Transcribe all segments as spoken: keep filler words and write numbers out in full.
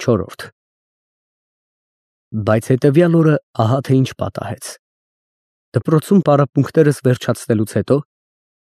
Չորրորդ Բայց հետևյալ օրը ահա թե ինչ պատահեց. դպրոցում պարապմունքներս վերջացնելուց հետո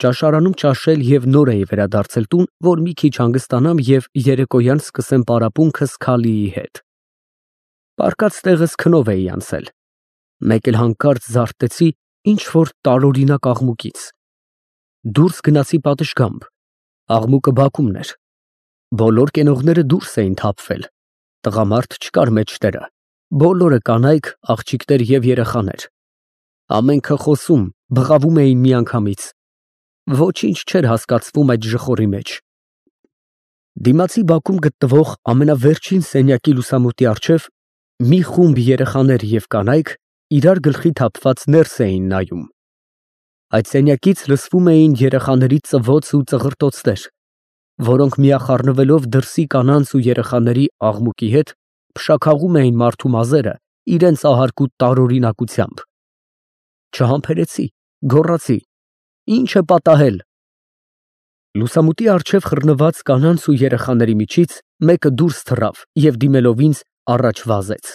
ճաշարանում ճաշել և նոր էի վերադարձել տուն, որ մի քիչ հանգստանամ և երեկոյան սկսեմ պարապմունքս Քալիի հետ։ Պառկած տեղս քնով էի անցել, մեկ էլ հանկարծ զարթեցի ինչ-որ տարօրինակ աղմուկից։ Դուրս գնացի պատշգամբ, աղմուկը բակումն էր, բոլոր կենողները դուրս էին թափվել, տղամարդ չկար մեջտեղը, բոլորը կանայք, աղջիկներ և երեխաներ, ամենքը խոսում, բղավում էին միանգամից, ոչինչ չէր հասկացվում այդ ժխորի մեջ։ Դիմացի բակում գտնվող ամենավերջին սենյակի լուսամուտի առջև մի խումբ երեխաներ և կանայք իրար գլխի թափված ներս էին նայում։ Այդ սենյակից լսվում էին երեխաների ծվոց ու ծղրտոցներ, որոնք միախառնվելով դրսի կանանց ու երեխաների աղմուկի հետ փշաքաղում էին մարդու մազերը իրենց ահարկու տարօրինակությամբ։ Չհամբերեցի, գոռացի. «Ի՞նչ է պատահել»։ Լուսամուտի առջև խռնված կանանց ու երեխաների միջից մեկը դուրս թռավ և դիմելով ինձ առաջ վազեց։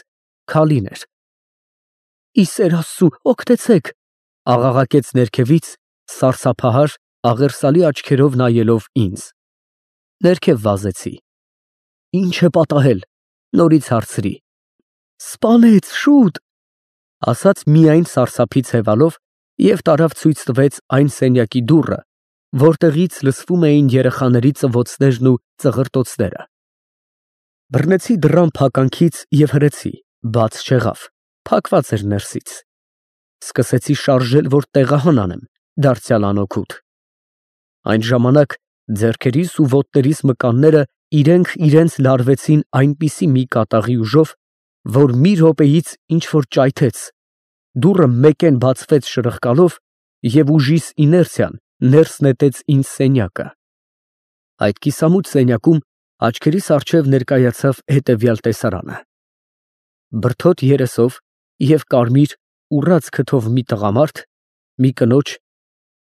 Քալին էր։ «Ի սեր Աստծու, օգնեցե՛ք», աղաղակեց ներքևից, սարսափահար, աղերսալի աչքերով նայելով ինձ։ Ներքև վազեցի։ «Ի՞նչ է պատահել», նորից հարցրի։ «Սպանեց, շուտ», ասաց միայն սարսափից հևալով և տարավ ցույց տվեց այն սենյակի դուռը, որտեղից լսվում էին երեխաների ծվոցներն ու ծղրտոցները։ Բռնեցի դռան փականքից և հրեցի, բաց չեղավ, փակված էր ներսից։ Սկսեցի շարժել, որ տեղահան անեմ, դարձյալ անօգուտ։ Այն ժամանակ ձեռքերիս ու ոտներիս մկանները իրենք իրենց լարվեցին այնպիսի մի կատաղի ուժով, որ մի րոպեից ինչ֊որ ճայթեց, դուռը մեկեն բացվեց շրխկալով և ուժիս իներցիան ներս նետեց ինձ սենյակը։ Այդ կիսամութ սենյակում աչքերիս առջև ներկայացավ հետևյալ տեսարանը. բրդոտ երեսով և կարմիր ուռած քթով մի տղամարդ, մի կնոջ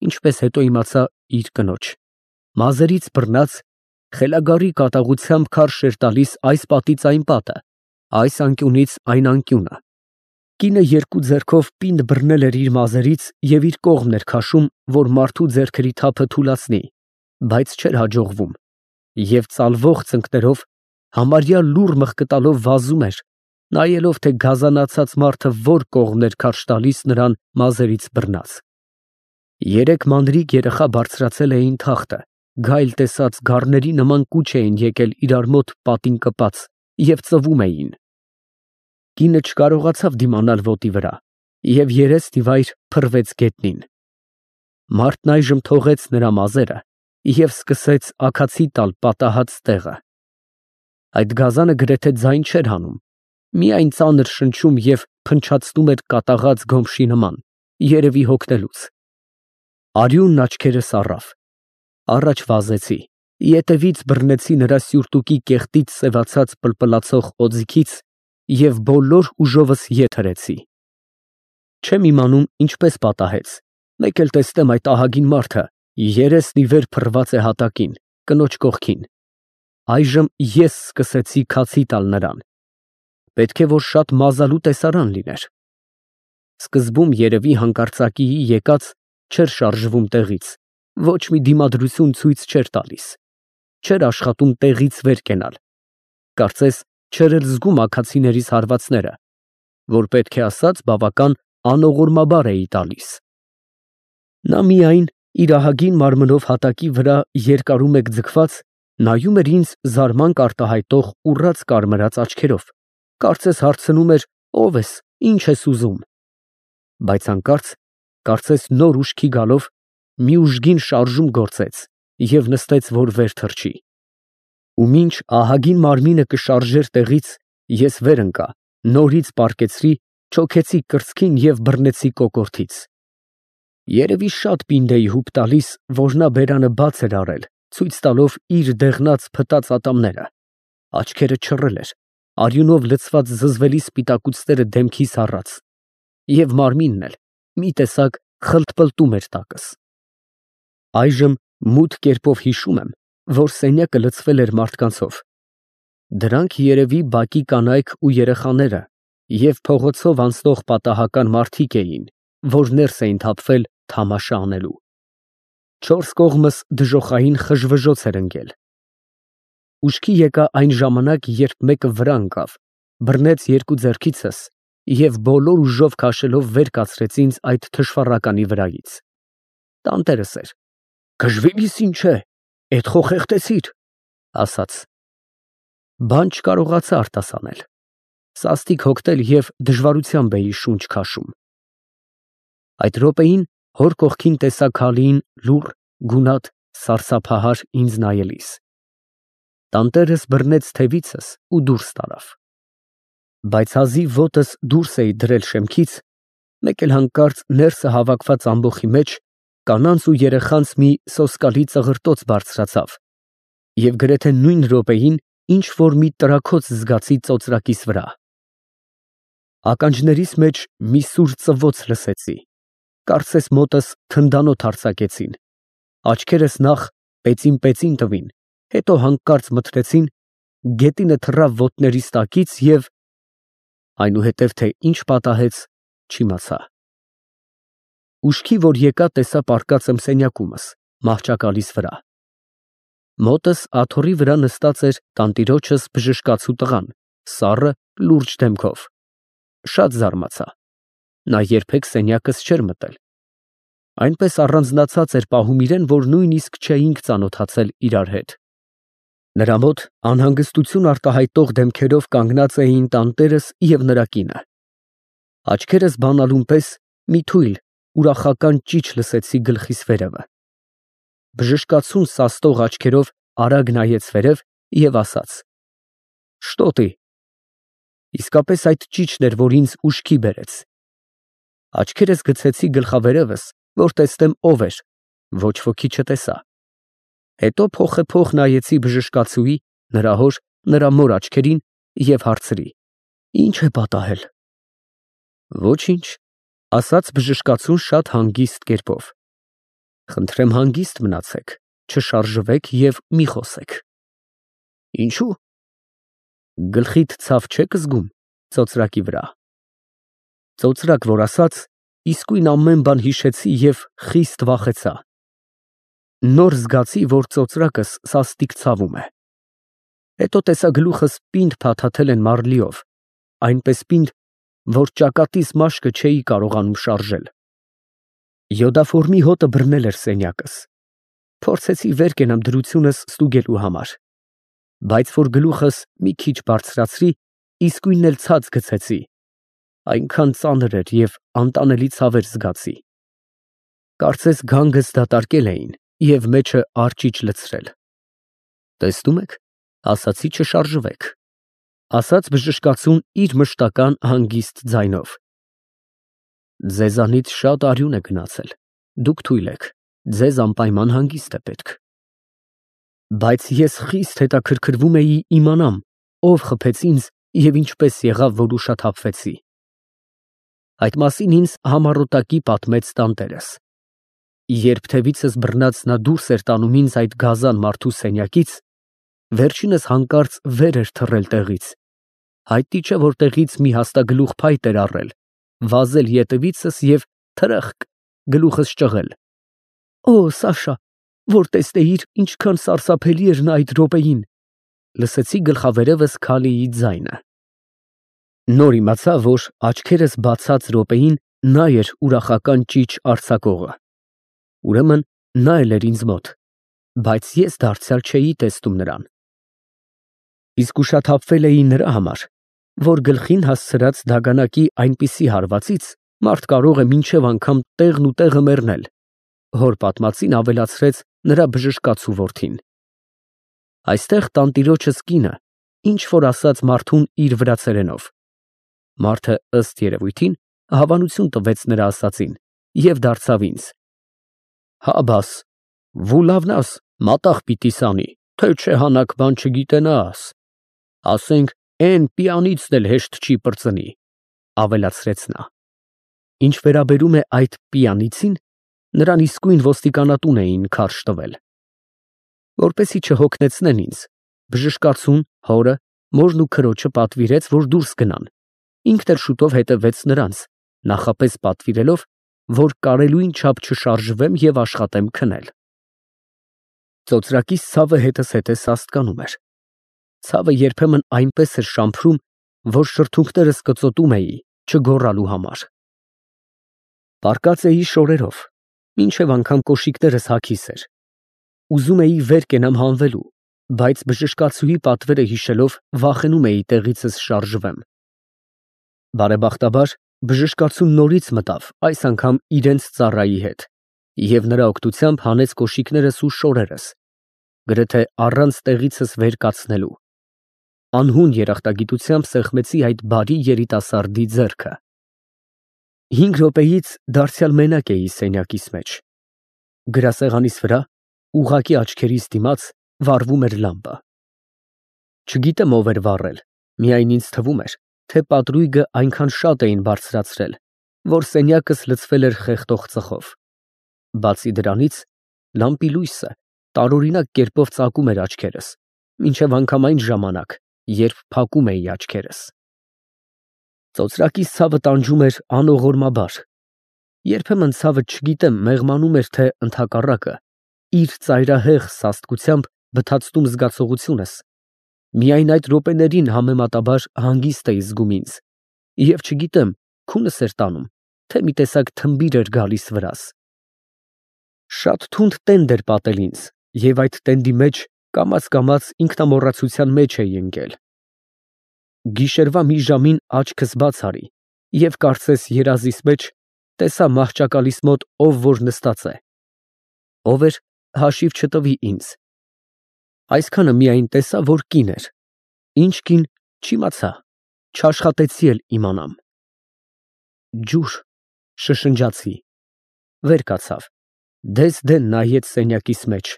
(ինչպես հետո իմացա, իր կնոջ) մազերից բռնած, խելագարի կատաղությամբ քարշ էր տալիս այս պատից այն պատը, այս անկյունից այն անկյունը։ Կինը երկու ձեռքով պինդ բռնել էր իր մազերից և իր կողմն էր քաշում, որ մարդու ձեռքերի թափը թուլացնի, բայց չէր հաջողվում, և ծալվող ծնկներով, համարյա լուռ մղկտալով վազում էր, նայելով, թե գազանացած մարդը որ կողմն էր քարշ տալիս նրան մազերից բռնած։ Երեք մանրիկ երեխա բարձրացել էին թախտը, գայլ տեսած գառների նման կուչ էին եկել իրար մոտ պատին կպած և ծվում էին։ Կինը չկարողացավ դիմանալ ոտի վրա և երեսնիվայր փռվեց գետնին։ Մարդն այժմ թողեց նրա մազերը և սկսեց աքացի տալ պատահած տեղը։ Այդ գազանը գրեթե ձայն չէր հանում, միայն ծանր շնչում և փնչացնում էր կատաղած գոմշի նման, երևի հոգնելուց։ Արյունն աչքերս առավ։ Առաջ վազեցի, ետևից բռնեցի նրա սյուրտուկի կեղտից սևացած պլպլացող օձիքից և բոլոր ուժովս ետ հրեցի։ Չեմ իմանում ինչպես պատահեց, մեկ էլ տեսնեմ այդ ահագին մարդը երեսն ի վեր փռված է հատակին, կնոջ կողքին։ Այժմ ես սկսեցի քացի տալ նրան։ Պետք է որ շատ մազալու տեսարան լիներ։ Սկզբում երևի հանկարծակիի եկած, չէր շարժվում տեղից, ոչ մի դիմադրություն ցույց չէր տալիս, չէր աշխատում տեղից վեր կենալ, կարծես չէր էլ զգում աքացիներիս հարվածները, որ պետք է ասած բավական անողորմաբար էի տալիս։ Նա միայն իր ահագին մարմնով հատակի վրա երկարումեկ ձգված նայում էր ինձ զարմանք արտահայտող ուռած կարմրած աչքերով, կարծես հարցնում էր. «Ո՞վ ես, ի՞նչ ես ուզում»։ Բայց հանկարծ, կարծես նոր ուշքի գալով, մի ուժգին շարժում գործեց և նստեց, որ վեր թռչի։ Ու մինչ ահագին մարմինը կշարժեր տեղից, ես վեր ընկա, նորից պառկեցրի, չոքեցի կրծքին և բռնեցի կոկորդից։ Երևի շատ պինդ էի հուպ տալիս, որ նա բերանը բաց էր արել, ցույց տալով իր դեղնած փտած ատամները, աչքերը չռել էր, արյունով լցված զզվելի սպիտակուցները դեմքիս առած, և մարմինն էլ մի տեսակ խլթպլտում էր տակս։ Այժմ մութ կերպով հիշում եմ, որ սենյակը լցվել էր մարդկանցով։ Դրանք երևի բակի կանայք ու երեխաները և փողոցով անցնող պատահական մարդիկ էին, որ ներս էին թափվել թամաշա անելու։ Չորս կողմս դժոխային խժվժոց էր ընկել։ Ուշքի եկա այն ժամանակ, երբ մեկը վրա ընկավ, բռնեց երկու ձեռքիցս և բոլոր ուժով քաշելով վեր կացրեց ինձ այդ թշվառականի վրայից։ Տանտերս էր։ «Գժվիլիս ինչ է, էդ խո խեղդեցիր», ասաց։ Բան չկարողացա արտասանել։ Սաստիկ հոգնել և դժվարությամբ էի շունչ քաշում։ Այդ րոպեին հոր կողքին տեսա Քալիին լուռ, գունատ, սարսափահար ինձ նայելիս։ Տանտերս բռնեց թևիցս ու դուրս տարավ։ Բայց հազիվ ոտս դուրս էի դրել շեմքից, մեկ էլ հանկարծ ներսը հավաքված ամբոխի մեջ կանանց ու երեխանց մի սոսկալի ծղրտոց բարձրացավ և գրեթե նույն րոպեին ինչ֊որ մի տրաքոց զգացի ծոծրակիս վրա։ Ականջներիս մեջ մի սուր ծվոց լսեցի, կարծես մոտս թնդանոթ արձակեցին, աչքերս նախ պեծին֊պեծին տվին, հետո հանկարծ մթնեցին, գետինը թռավ ոտներիս տակից և… այնուհետև թե ինչ պատահեց, չիմացա։ Ուշքի որ եկա, տեսա պառկած եմ սենյակումս, մահճակալիս վրա։ Մոտս աթոռի վրա նստած էր տանտիրոջս բժշկացու տղան, սառը, լուրջ դեմքով։ Շատ զարմացա։ Նա երբեք սենյակս չէր մտել։ Այնպես առանձնացած էր պահում իրեն, որ նույնիսկ չէինք ծանոթացել իրար հետ։ Նրա մոտ անհանգստություն արտահայտող դեմքերով կանգնած էին տանտերս և նրա կինը։ Աչքերս բանալուն պես մի թույլ, ուրախական ճիչ լսեցի գլխիս վերևը։ Բժշկացուն սաստող աչքերով արագ նայեց վերև և ասաց. «Շտո տի»։ Իսկապես այդ ճիչն էր, որ ինձ ուշքի բերեց։ Աչքերս գցեցի գլխավերևս, որ տեսնեմ ով էր, ոչ ոքի չտեսա։ Հետո փոխեփոխ նայեցի բժշկացուի, նրա հոր, նրա մոր աչքերին և հարցրի. «Ի՞նչ է պատահել»։ «Ոչինչ», ասաց բժշկացուն շատ հանգիստ կերպով։ «Խնդրեմ հանգիստ մնացեք, չշարժվեք և մի խոսեք»։ «Ինչո՞ւ»։ «Գլխիդ ցավ չեք զգում ծոծրակի վրա»։ Ծոծրակ որ ասաց, իսկույն ամեն բան հիշեցի և խիստ վախեցա։ Նոր զգացի, որ ծոծրակս սաստիկ ցավում է։ Հետո տեսա գլուխս պինդ փաթաթել են մարլիով, այնպես պինդ, որ ճակատիս մաշկը չէի կարողանում շարժել։ Յոդաֆորմի հոտը բռնել էր սենյակս։ Փորձեցի վեր կենամ դրությունս ստուգելու համար, բայց որ գլուխս մի քիչ բարձրացրի, իսկույն էլ ցած գցեցի, այնքան ծանր էր և անտանելի ցավեր զգացի։ Կարծես գանգս դատարկել էին և մեջը արճիճ լցրել։ «Տեսնում եք, ասացի չշարժվեք», ասաց բժշկացուն իր մշտական հանգիստ ձայնով։ «Ձեզանից շատ արյուն է գնացել, դուք թույլ եք, ձեզ անպայման հանգիստ է պետք»։ Բայց ես խիստ հետաքրքրվում էի իմանամ, ով խփեց ինձ և ինչպես եղավ, որ ուշաթափվեցի։ Այդ մասին ինձ համառոտակի պատմեց տանտերս։ Երբ թևիցս բռնած նա դուրս էր տանում ինձ այդ գազան մարդու սենյակից, վերջինս հանկարծ վեր էր թռել տեղից, հայտնի չէ որտեղից մի հաստագլուխ փայտ էր առել, վազել ետևիցս և թրըխկ գլուխս ճղել։ «Օ, Սաշա, որ տեսնեիր, ինչքան սարսափելի էր նա այդ րոպեին», լսեցի գլխավերևս Քալիի ձայնը։ Նոր իմացա, որ աչքերս բացած րոպեին նա էր ուրախական ճիչ արձակողը։ Ուրեմն նա էլ էր ինձ մոտ, բայց ես դարձյալ չէի տեսնում նրան։ Իսկ ուշաթափվել էի նրա համար, որ գլխին հասցրած դագանակի այնպիսի հարվածից մարդ կարող է մինչև անգամ տեղն ու տեղը մեռնել, հոր պատմածին ավելացրեց նրա բժշկացու որդին։ Այստեղ տանտիրոջս կինը ինչ֊որ ասաց մարդուն իր վրացերենով։ Մարդը, ըստ երևույթին, հավանություն տվեց նրա ասածին և դարձավ ինձ. «Հա, բաս, վուլավնաս մատաղ պիտի սանի, թե չէ հանակ բան չգիտենաս, ասենք էն պիանիցն էլ հեշտ չի պրծնի», ավելացրեց նա։ Ինչ վերաբերում է այդ պիանիցին, նրան իսկույն ոստիկանատուն էին քարշ տվել։ Որպեսզի չհոգնեցնեն ինձ, բժշկացուն, հորը, Մորն ու քրոջը պատվիրեց, որ դուրս գնան, ինքն էլ շուտով հետևեց նրանց, նախապես պատվիրելով, որ կարելույն չափ չշարժվեմ և աշխատեմ քնել։ Ծոծրակիս ցավը հետս հետե սաստկանում էր։ Ցավը երբեմն այնպես էր շամփրում, որ շրթունքներս կծոտում էի չգոռալու համար։ Պառկած էի շորերով, մինչև անգամ կոշիկներս հագիս էր։ Ուզում էի վեր կենամ հանվելու, բայց բժշկացուի պատվերը հիշելով վախենում էի տեղիցս շարժվեմ։ Բարեբախտաբար բժշկացուն նորից մտավ, այս անգամ իրենց ծառայի հետ, և նրա օգնությամբ հանեց կոշիկներս ու շորերս, գրեթե առանց տեղիցս վեր կացնելու։ Անհուն երախտագիտությամբ սեղմեցի այդ բարի երիտասարդի ձեռքը։ Հինգ րոպեից դարձյալ մենակ էի սենյակիս մեջ։ Գրասեղանիս վրա, ուղղակի աչքերիս դիմաց, վառվում էր լամպը։ Չգիտեմ ով էր վառել, միայն ինձ թվում էր, թե պատրույգը այնքան շատ էին բարձրացրել, որ սենյակս լցվել էր խեղդող ծխով։ Բացի դրանից, լամպի լույսը տարօրինակ կերպով ծակում էր աչքերս, մինչև անգամ այն ժամանակ, երբ փակում էի աչքերս։ Ծոծրակիս ցավը տանջում էր անողորմաբար։ Երբեմն ցավը չգիտեմ մեղմանում էր, թե ընդհակառակը, իր ծայրահեղ սաստկությամբ բթացնում զգացողությունս, միայն այդ րոպեներին համեմատաբար հանգիստ էի զգում ինձ, և չգիտեմ քունս էր տանում, թե մի տեսակ թմբիր էր գալիս վրաս։ Շատ թունդ տենդ էր պատել ինձ, և այդ տենդի մեջ կամաց֊կամաց ինքնամոռացության մեջ էի ընկել։ Գիշերվա մի ժամին աչքս բաց արի և կարծես երազիս մեջ տեսա մահճակալիս մոտ ով որ նստած է։ Ով էր, հաշիվ չտվի ինձ։ Այսքանը միայն տեսա, որ կին էր։ Ինչ կին, չիմացա, չաշխատեցի էլ իմանամ։ Ջուր, շշնջացի, վեր կացավ, դես֊դեն նայեց սենյակիս մեջ,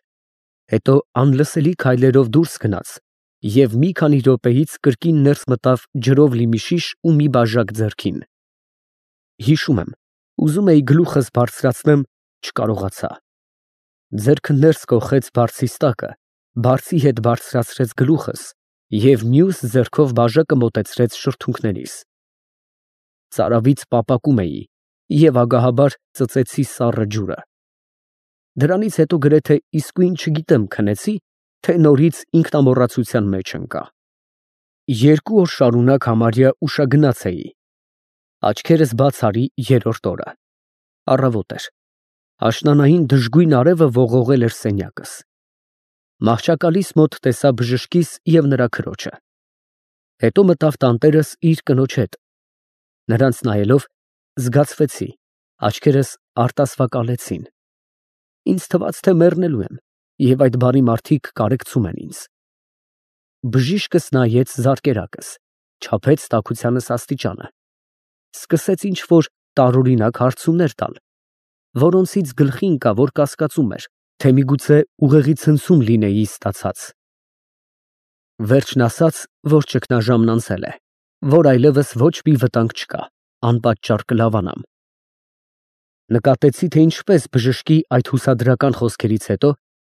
հետո անլսելի քայլերով դուրս գնաց և մի քանի րոպեից կրկին ներս մտավ ջրով լի մի շիշ ու մի բաժակ ձեռքին։ Հիշում եմ, ուզում էի գլուխս բարձրացնեմ, չկարողացա։ Ձեռքը ներս կոխեց բարձիս տակը, բարձի հետ բարձրացրեց գլուխս և մյուս ձեռքով բաժակը մոտեցրեց շրթունքներիս։ Ծարավից պապակում էի և ագահաբար ծծեցի սառը ջուրը։ Դրանից հետո գրեթե իսկույն չգիտեմ քնեցի, թե նորից ինքնամոռացության մեջ ընկա։ Երկու օր շարունակ համարյա ուշագնաց էի։ Աչքերս բաց արի երրորդ օրը։ Առավոտ էր։ Աշնանային դժգույն արևը ողողել էր սենյակս։ Մահճակալիս մոտ տեսա բժշկիս և նրա քրոջը։ Հետո մտավ տանտերս իր կնոջ հետ։ Նրանց նայելով զգացվեցի, աչքերս արտասվակալեցին։ Ինձ թվաց, թե մեռնելու եմ, և այդ բարի մարդիկ կարեկցում են ինձ։ Բժիշկս նայեց զարկերակս, չափեց տաքությանս աստիճանը, սկսեց ինչ֊որ տարօրինակ հարցումներ տալ, որոնցից գլխի ընկա, որ կասկածում էր, թե միգուցե ուղեղի ցնցում լինեի ստացած։ Վերջն ասաց, որ ճգնաժամն անցել է, որ այլևս ոչ մի վտանգ չկա, անպատճառ կլավանամ։ Նկատեցի, թե ինչպես բժշկի այդ հուսադրական խոսքերից հետո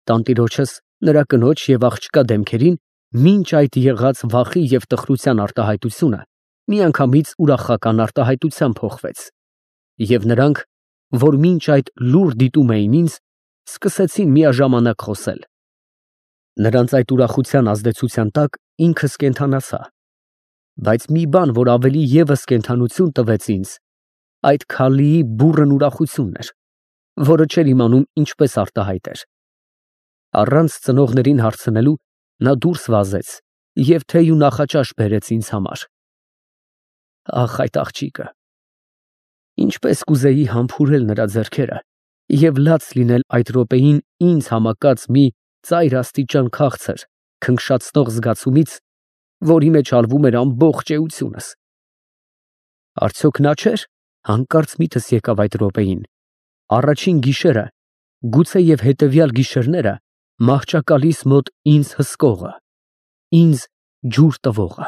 տանտիրոջս, նրա կնոջ և աղջկա դեմքերին մինչ այդ եղած վախի և տխրության արտահայտությունը միանգամից ուրախական արտահայտության փոխվեց, և նրանք, որ մինչ այդ լուռ դիտում էին ինձ, սկսեցին միաժամանակ խոսել։ Նրանց այդ ուրախության ազդեցության տակ ինքս կենդանացա, բայց մի բան, որ ավելի ևս կենդանություն տվեց ինձ, այդ քալիի բուռն ուրախությունն էր, որը չէր իմանում ինչպես արտահայտեր։ Առանց ծնողներին հարցնելու նա դուրս վազեց և թեյ ու նախաճաշ բերեց ինձ համար։ Ախ, այդ աղջիկը… Ինչպես կուզեի համբուրել նրա ձեռքերը և լաց լինել այդ րոպեին ինձ համակած մի ծայր աստիճան քաղցր, քնքշացնող զգացումից, որի մեջ ալվում էր ամբողջ էությունս։ Արդյոք նա չէ՞ր, հանկարծ միտս եկավ այդ րոպեին, առաջին գիշերը, գուցե և հետևյալ գիշերները մահճակալիս մոտ ինձ հսկողը, ինձ ջուր տվողը։